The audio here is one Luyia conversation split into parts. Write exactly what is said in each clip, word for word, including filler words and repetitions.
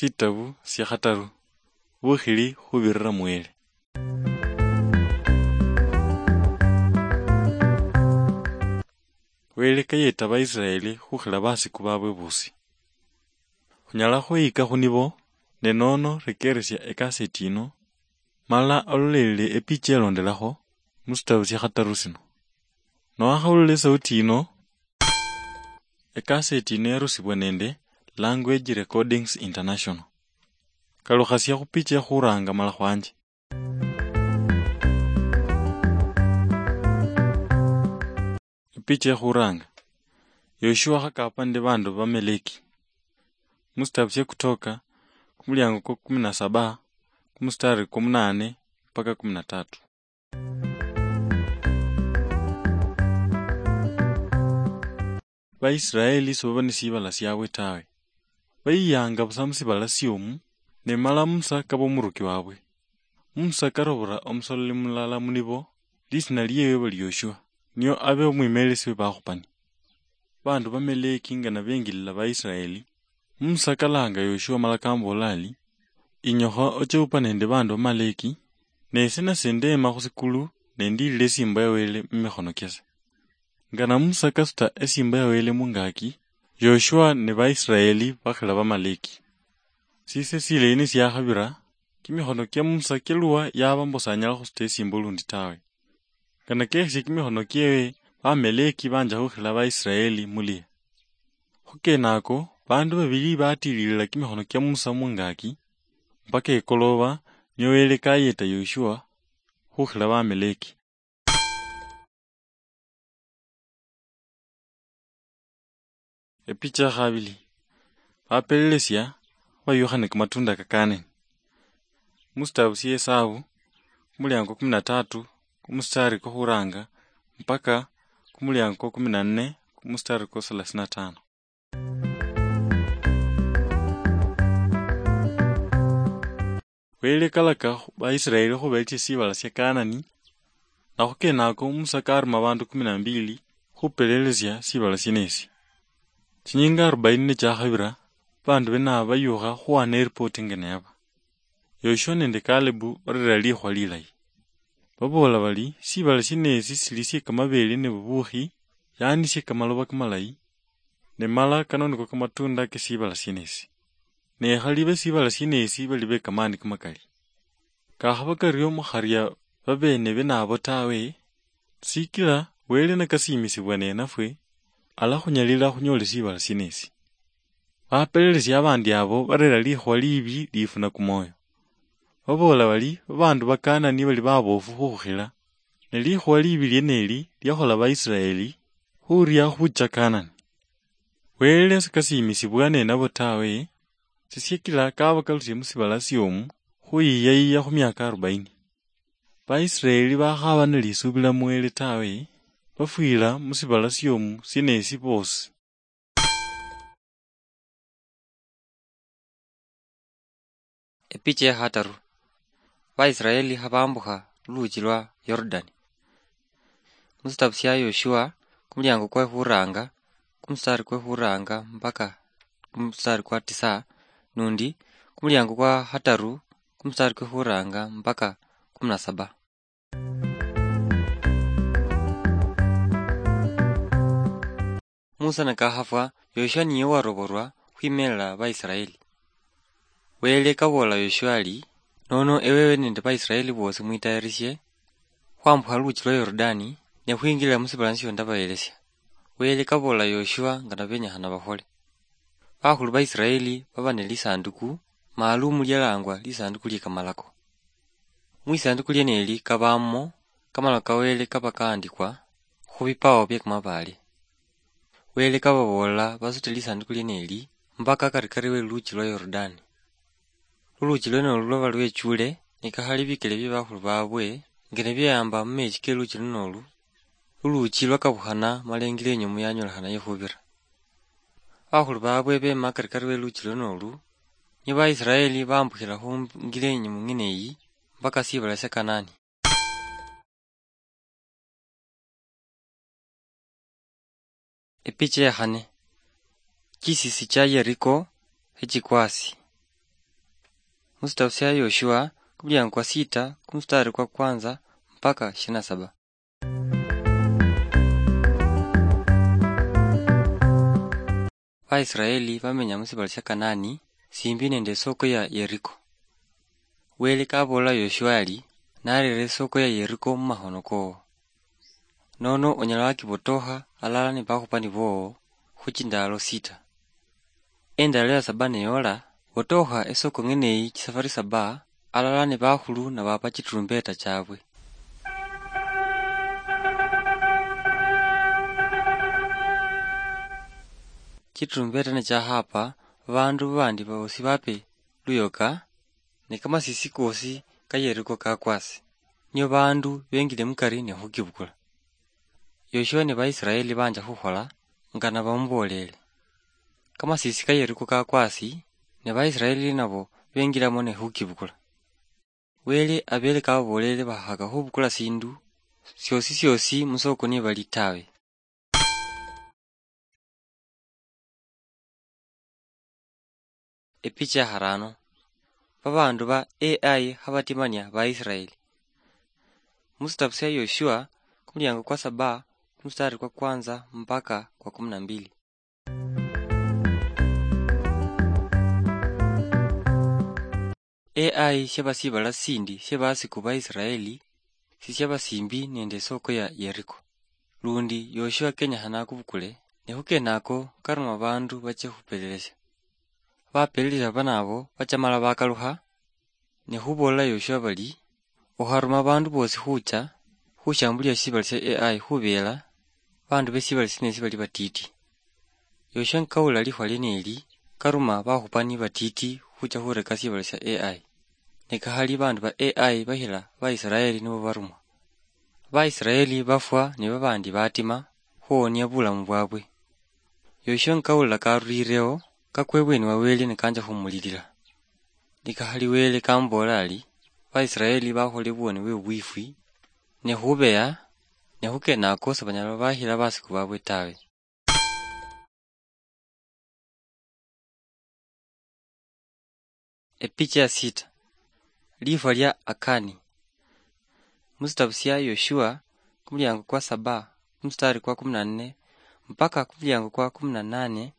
Shitabu shia khataru. Bukhili khubirira mu Wele. Wele kayeta Baisiraeli khukhila basiku babwe bosi. Khunyala khweyika khunibo, ne nono rekeresia ekaseti yino, mala ololelele epicha elondelakho musitabu sia khataru sino. Nowakhawulila esauti yino, ekaseti yino yarusibwa nende Language Recordings International. Kalukhasia khupicha ekhuranga mala khwanje. Epicha ekhuranga. Yoshua khakapa nende bandu ba Meleki. Musitabu sia Kutoka, kumuliango kwa kumi na saba, kumustari kwa munane mpaka kumi na tatu. Baisiraeli sibaba ni sibala siabwe tawe. Bayiyanga busa musibala siomu, ne mala Musa kaba omuruki wabwe. Musa karobora omusololi mulala munibo, lisina liewe bali Yoshua, nio abe omwimelesi we bakhupani. Bandu ba Meleki nga nabengilila Baisiraeli, Musa kalanga Yoshua mala kambola ali, "Inyokha oche upa nende bandu ba Maleki, ne ese nase ndema khusikulu ne ndilile esimbo ya Wele mumikhono kiase." Nga na Musa kasuta esimbo ya Wele mungaki, Yoshua ne Baisiraeli bakhila Bamaleki. Sise silayi nisiakhabira, kimikhono kia Musa kialwa yaba mbu sanyala khusuta esimbo lundi tawe. Nga nakekhesie kimikhono kiewe, Bamaleki banja khukhila Baisiraeli mulia. Khukenako, bandu babili batililila kimikhono kia Musa mungaki, mpaka ekoloba, nio Wele kayeta Yoshua khukhila Bamaleki. Epicha ya khabili. Bapelelesia bayukha ne kamatunda ka Kanani. Musitabu sia Esabu, kumuliango kumi na tatu, kumustari kwa khuranga, mpaka kumuliango kwa kumi na nne, kumustari kwa thelathini na tano. Wele kalaka khu Baisiraeli khubelesia sibala sia Kanani, na khukenako Musa karuma bandu kumi na mbili khupelelesia sibala sienesi. Chinyinga arobaini nichiakhabira, bandu bene aba bayukha khuwana eripoti nga neyaba. Yoshua nende Kalebu barera likhuwa lilayi. Baboola bari, "Sibala sienesi sili sie kamabele ne bubukhi, yaani sie kamaloba kamalayi, ne mala kano niko kamatunda ke sibala sienesi. Ne khali be sibala sienesi bali be kamani kamakali. Kakhaba kario mukharia babene bene abo tawe, sikila Wele nakasiimisibwa nenafwe, alakhunyalila khunyoole sibala sienesi." Bapelelesi abandi abo barera likhuwa liibi lifuna kumwoyo. Baboola bari, "Babandu ba Kanani bali baboofu khukhukhila, ne likhuwa liibi lieneli liakhola Baisiraeli khuria khucha Kanani." Wele sikasiimisibwa nenabo tawe, sisiekila kabakalusie musibala siomu khuyiyayiya khumiaka arobaini. Baisiraeli bakhaba nilisuubila mu Wele tawe, bafwila musibala siomu sienesi boosi. Epicha ya khataru. Baisiraeli khabambukha luluchi lwa Yorodani. Musitabu sia Yoshua, kumuliango kwe khuranga, kumustari kwe khuranga mpaka kumustari kwa tisa, nundi kumuliango kwa khataru, kumustari kwe khuranga mpaka kumi na saba. Musa nikakhafwa, Yoshua niye waroborwa khwimelela Baisiraeli. Wele kaboola Yoshua ari, "Nono ewewe nende Baisiraeli boosi mwitayarishe khwambukha luluchi lwa Yorodani ne khwingilila musibala nisio ndabayelesia." Wele kaboola Yoshua nga nabenyekhana bakhole. Bakhulu ba Isiraeli baba ne lisanduku maalumu lialangwa lisanduku lie kamalako. Mwisanduku lieneli kabamo kamalako ka Wele kaba kaandikwa khu bipawo bie kamabaale. Wele kababool'la basute lisanduku lieneli mpaka akarikari we luluchi lwa Yorodani. Luluchi lwenolu lwaba lwechule, nikakhali bikele bie bakhulu babwe, nga nibieyamba mumechi ke luluchi lunolu, luluchi lwakabukhana mala ingila inyumu yanyolekhana ikhubira. Bakhulu babwe bema akarikari we luluchi lwenolu, nio Baisiraeli bambukhila khu ngila inyumu ng'ine iyi mpaka sibala sia Kanani. Epicha ya khane. Chisisi cha Yeriko echikwasi. Musitabu sia Yoshua, kumulyango kwa sita, kumustari kwa kwanza mpaka ishirini na saba. Vaisraeli vamenya musibala sia Kanaani, simbi nende isoko ya Yeriko. Wele kavoola Yoshua ali, "Narere isoko ya Yeriko mumahono koo. Nono onyala wakivotokha alala ni vakhupani voo khuchindalo sita. Endalo ya saba niyola, votokha isoko ng'eneyi chisafari saba, alala ni vakhulu navapa chiturumbeta chavwe. Chiturumbeta nichakhapa, vandu vandi vosi vape luyoka, ne kamasisi kosi ka Yeriko kakwasi, nio vandu vengile mukari ne khukivukula." Yoshua ne Vaisraeli vanja khukhola nga navamuvolele. Kamasisi ka Yeriko kakwasi, ne Vaisraeli navo vengilamo ne khukivukula. Wele avele kavavolele vakhaka khuvukula sindu siosi siosi musoko nivali tawe. Epicha ya kharano. Babandu ba A I khabatimania Baisraeli. Musitabu sia Yoshua, kumuliango kwa saba, kumustari kwa kwanza mpaka kwa kumi na mbili. A I shiaba sibala sindi shia basiku ba Israeli, sishiaba simbi nende isoko ya Yeriko. Lundi Yoshua kenyekhana akubukule, ne khukenako karuma abandu bache khupelelesha. Bapelelesha banabo bacha mala bakalukha, ne khubolela Yoshua bali, "Okharuma abandu bosi khucha khushambulia shibala shia A I khubela bandu be shibala shieneshi bali batiti." Yoshua nikawulila likhuwa lieneli, karuma bakhupani batiti khucha khureka shibala shia A I. Ne kakhali bandu ba A I bahila Baisraeli nibo barumwa. Baisraeli bafwa ne babandi batima khuwonia bulamu bwabwe. Yoshua nikawulila karulileo, kakwa ebweni wa Wele nikanja khumulilila. Nikakhali Wele kamuboolera ari, "Baisraeli bakhole buwoni bwe bubwifwi, ne khubeya, ne khukenako sebanyala bakhila basiku babwe tawe." Epicha ya sita. Lifwa lia Akani. Musitabu sia Yoshua, kumuliango kwa saba, kumustari kwa kumi na nne, mpaka kumuliango kwa kumi na nane,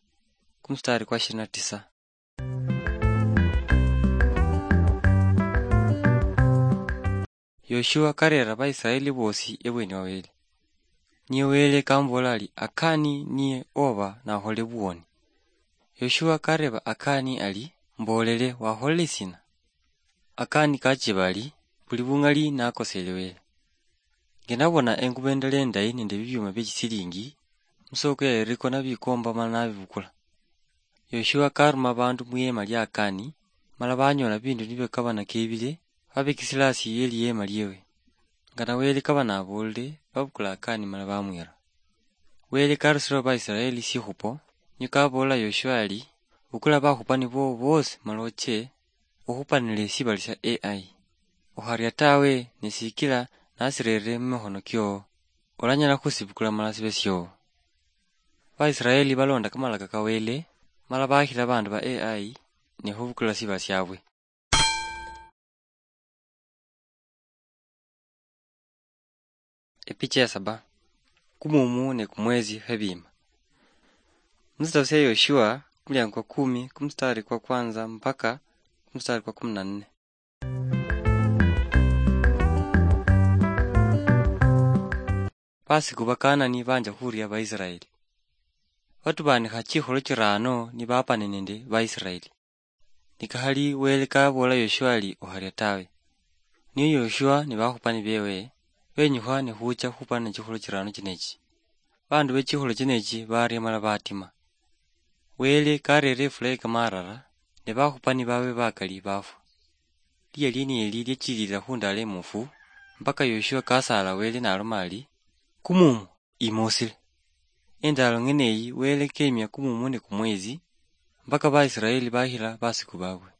kumustari kwa ishirini na tisa. Yoshua karera Baisraeli bosi ebweni wa Wele. Niye Wele kamubola ari, "Akani niye oba nakhole buwoni." Yoshua kareba Akani ari, "Mbolele, wakholele sina?" Akani kachiba ari, "Buli bungali nakosele Wele. Nge nabona engubo endala endayi nende bibyuma bie chisilingi, musoko ya Yeriko nabikomba mala nabibukula." Yoshua karuma abandu mwiema lia Akani, mala banyola bindu nibikabana kebile, babikisila asi ye liema liewe. Nga na Wele kaba nabolile, babukula Akani mala bamwira. Wele karusilao Baisraeli shikhupo, nio kabolela Yoshua ari, "Bukula bakhupani bobo bosi mala oche, ukhupanile shibali shia A I. Ukharia tawe, ne sikila nasirerere mumikhono kio, olanyala khusibukula mala sibe sio." Baisraeli balonda kamalaka ka Wele, mala bakhila bandu ba A I ne khubukula shibala shiabwe. Epicha ya saba. Kumumu ne kumwezi khebima. Musitabu sia Yoshua, kumuliango kwa kumi, kumustari kwa kwanza mpaka kumustari kwa kumi na nne. Basiku ba Kanani banja khuria Baisraeli. Batubanikha chikholo chirano nibapane nende Baisraeli. Nikakhali Wele kabola Yoshua ari, "Okharia tawe." Niye Yoshua ni bakhupani bewe benyukha ne khucha khupana chikholo chirano chinechi. Bandu be chikholo chinechi baria mala batima. Wele karere ifula ye kamarara, ne bakhupani bawe bakali bafwa. Lia lieneli liachilila khundalo emufu, mpaka Yoshua kasaala Wele naloma ari, "Kumumu, imosile." Endalo ng'eneyi Wele kemia kumumu ne kumwezi, mpaka Baisraeli bakhila basiku babwe.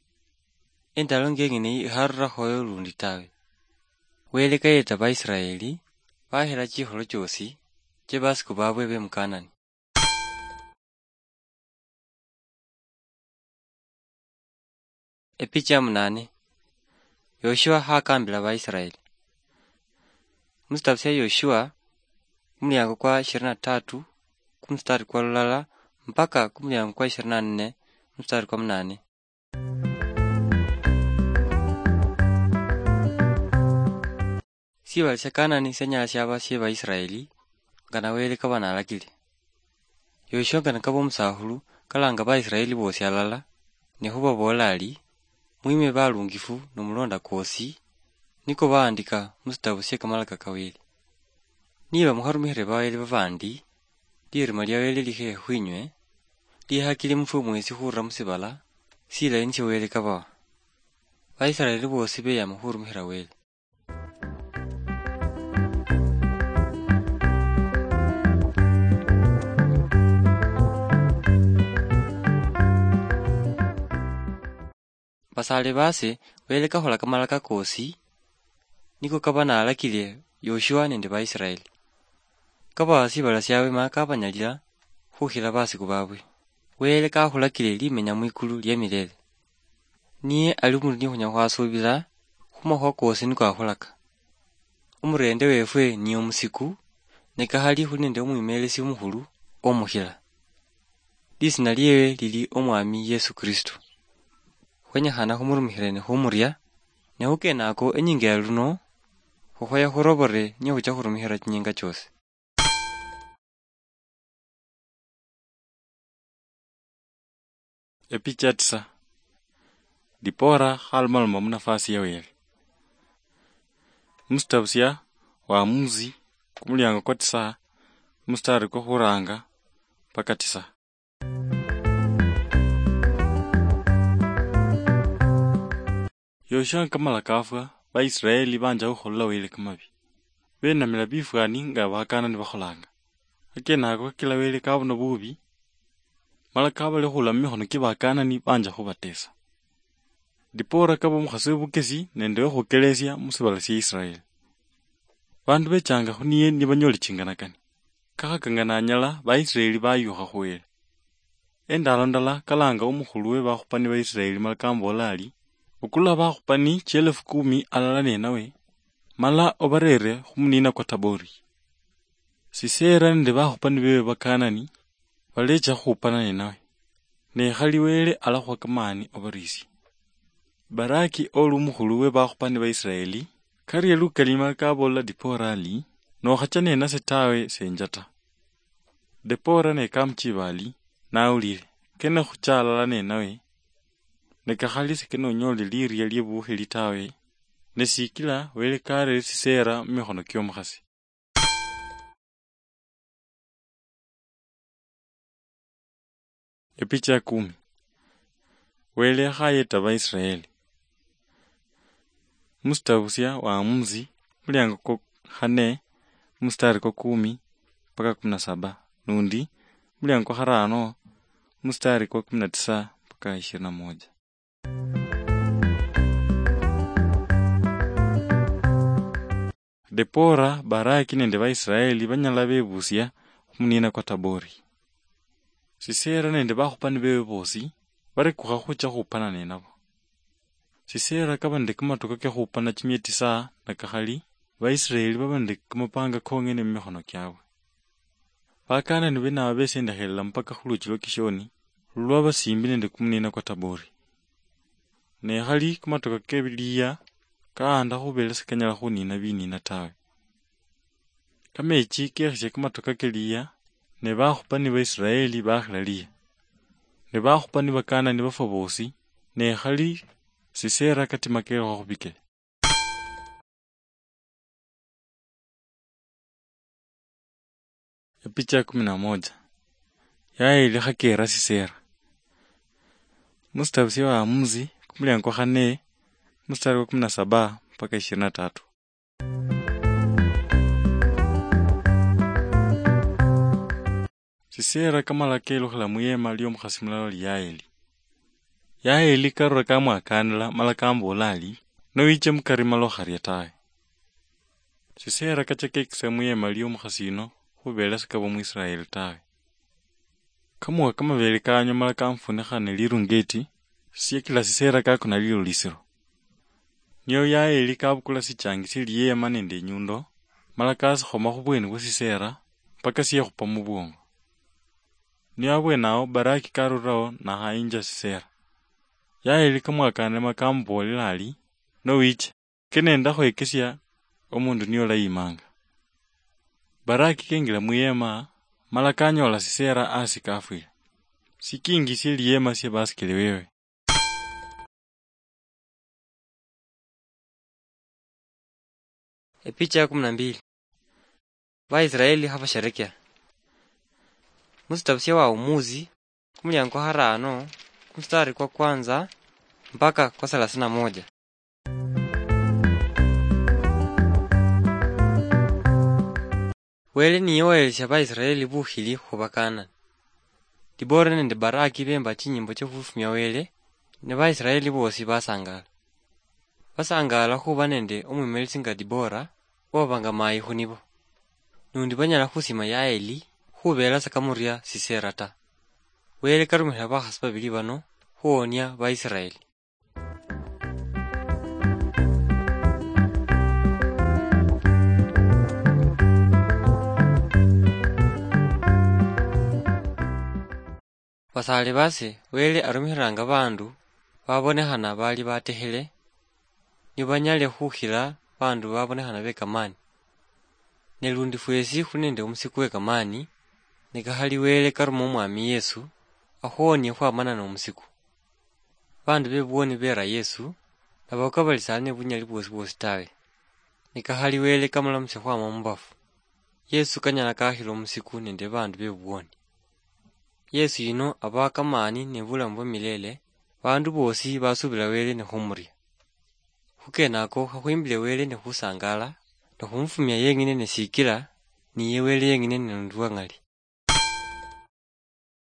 Endalo ng'eneyi ikharurakhoyo lundi tawe. Wele kayeta Baisraeli, bakhila chikholo chiosi chie basiku babwe be mu Kanani. Epicha ya munane. Yoshua hakambila Vaisraeli. Musitabu sia Yoshua, kumuliango kwa ishirini na tatu, kumustari kwa lulala, mpaka kumuliango kwa ishirini na nne, mustari kwa munane. Sibala sia Kanani sianyala siaba sie Vaisraeli, nga na Wele kaba nalakile. Yoshua nga nikaba omusakhulu, kalanga Vaisraeli bosi alala, ne khubabool'la ari, "Mwime balungifu nomulonda kwosi, niko baandika musitabu sie kamalaka ka Wele. Niba mukharumikhile bawele babandi, lirima lia Wele likhehe khwinywe, liehakile mufwe mwesi khurula musibala silayi nisio Wele kabawa." Vaisraeli bosi beyama khurumikhila Wele. Basaale baase, Wele kakhola kamalaka koosi, niko kaba nalakile Yoshua nende Baisraeli. Kabawa sibala siabwe ma kabanyalila khukhila basiku babwe. Wele kakhulakile limenya mwikulu lia milele. Niye ali omundu ni khunyala khwasuubila khumakhuwa koosi niko akhulaka. Omurende wefwe niye omusiku, ne kakhali khuli nende omwimelesi omukhulu omukhila. Lisina liewe lili Omwami Yesu Kristo. Khwenyekhana khumurumikhile ne khumuria, ne khukenako enyinga ya luno, khukhoya khurobore niye khucha khurumikhila chinyinga chiosi. Epicha tisa. Dipora khalumaloma munafasi ya Wele. Musitabu sia Waamuzi, kumuliango kwa tisa, musitari kwa khuranga mpaka tisa. Yoshua kamala kafwa, Baisraeli banja khukholela Wele kamabi. Benamila bifwani nga Bakanani bakholanga. Akenako kakila Wele kabona bubi, mala kabalekhula mumikhono kia Bakanani banja khubatesa. Dipora kaba omukhasi webukesi nende wekhukelesia musibala sia Israeli. Bandu bechanga khuniye nibanyole chinganakani. Kakhakanga nanyala, Baisraeli bayukha khu Wele. Endalo ndala kalanga omukhulu we bakhupani ba Israeli mala kambola ari, "Bukula bakhupani chielefu kumi alala nenawe, mala obarere khumunina kwa Tabori. Sisera nende bakhupani bewe Bakanani balecha khukhupana nenawe, ne khali Wele alakhuha kamani obarisie." Baraki oli omukhulu we bakhupani ba Israeli, karia lukali mala kabola Dipora ari, "Nokhacha nenase tawe, senja ta." Dipora ne kamuchiba ari, "Nawulire, kene khucha alala nenawe, ne kakhali sikene onyole liria liebukhili tawe, ne sikila Wele karere Sisera mumikhono kiomukhasi." Epicha ya kumi. Wele akhayeta Baisraeli. Musitabu sia Waamuzi, muliango kwa khane, musitari kwa kumi mpaka kumi na saba, nundi muliango kwa kharano, musitari kwa kumi na tisa mpaka ishirini na moja. Dipora, Baraki nende Baisraeli banyala bebusia khumunina kwa Tabori. Sisera nende bakhupani bewe bosi barekukha khucha khupana ninabo. Sisera kaba nende kamatoka kekhupana chimia tisa nakakhali, Baisraeli baba nende kamapanga kong'ene mumikhono kiabwe. Bakanani bene aba besendekhelela mpaka khuluchi lwa Kishoni, lulwaba simbi nende kumunina kwa Tabori. Ne khali kamatoka ke liya kaanda khubela sikanyala khunina binina tawe. Kamechi kekhisya kamatoka ke liya, ne bakhupani ba Israeli bakhila liya. Ne bakhupani ba Kanani bafwa bosi, ne khali Sisera katima kelukha khubikele. Epicha ya kumi na moja. Yaeli khakera Sisera. Musitabu sya Waamuzi, kumuliango kwa khane, mustari kwa kumi na saba mpaka ishirini na tatu. Sisera kamala kelukhila muyema liomukhasi mulala oli Yaeli. Yaeli karura kamwakanila mala kambola ali, "Nowiche mukari mala okharia tawe." Sisera kacha kekisa muyema liomukhasi yuno khubela sikaba Muisraeli tawe. Kamuwa kamabele kanywa mala kamufunikha ne lirungeti, siakila Sisera kakona lilulisiro. Nio Yaeli kabukula sichangi sie liyeema nende inyundo, mala kasikhoma khubweni bwa siseera, mpaka siekhupa mubwongo. Nio abwenaho Baraki karuraho nakhayinja Sisera. Yaeli kamwakane ma kamuboolela ari, "Nowicha, kenenda khwekesia omundu niolayiimanga." Baraki kengila mwiyeema, mala kanyoola Sisera asi kafwile. Sikingi sie liyeema sie basikili bewe. Epicha ya kumi na mbili. Baisraeli habasherekea. Musitabu sia Wahumuzi, kumuliango harano, kumustari kwa kwanza mpaka kwa thelathini na moja. Wele niye wahelesia Baisraeli bukhili khuba Kanani. Dibora nende Baraki bemba chinyimbo chia khufumia Wele, ne Baisraeli bosi basangala. Basangala khuba nende omwimelesi nga Dibora, owabanga mayi khunibo. Nundi banyala khusima Yaeli, khubela sa kamuria Sisera ta. Wele karumikhila bakhasi babili bano khuwonia Baisraeli. Basaale base, Wele arumikhilanga baandu babonekhana bali batekhele, nio banyale khukhila baandu babonekhana be kamaani. Ne lundi fwesi khuli nende omusiku we kamaani, ne kakhali Wele karuma Omwami Yesu, akhuwonie khwamana nomusiku. Baandu be buwoni beera Yesu, nabakwa bali sali ne bunyali bwosi bwosi tawe. Ne kakhali Wele kamulamusia khwama mubafu. Yesu kanyala kakhila omusiku nende baandu be buwoni. Yesu yuno abaha kamaani ne bulamu bwa milele, baandu boosi basuubila Wele ne khumuria. Khukenako khakhwimbile Wele ne khusangaala, ne khumufumia yeng'ine ne sikila, niye Wele yeng'ine ne lundi lwa ng'ali.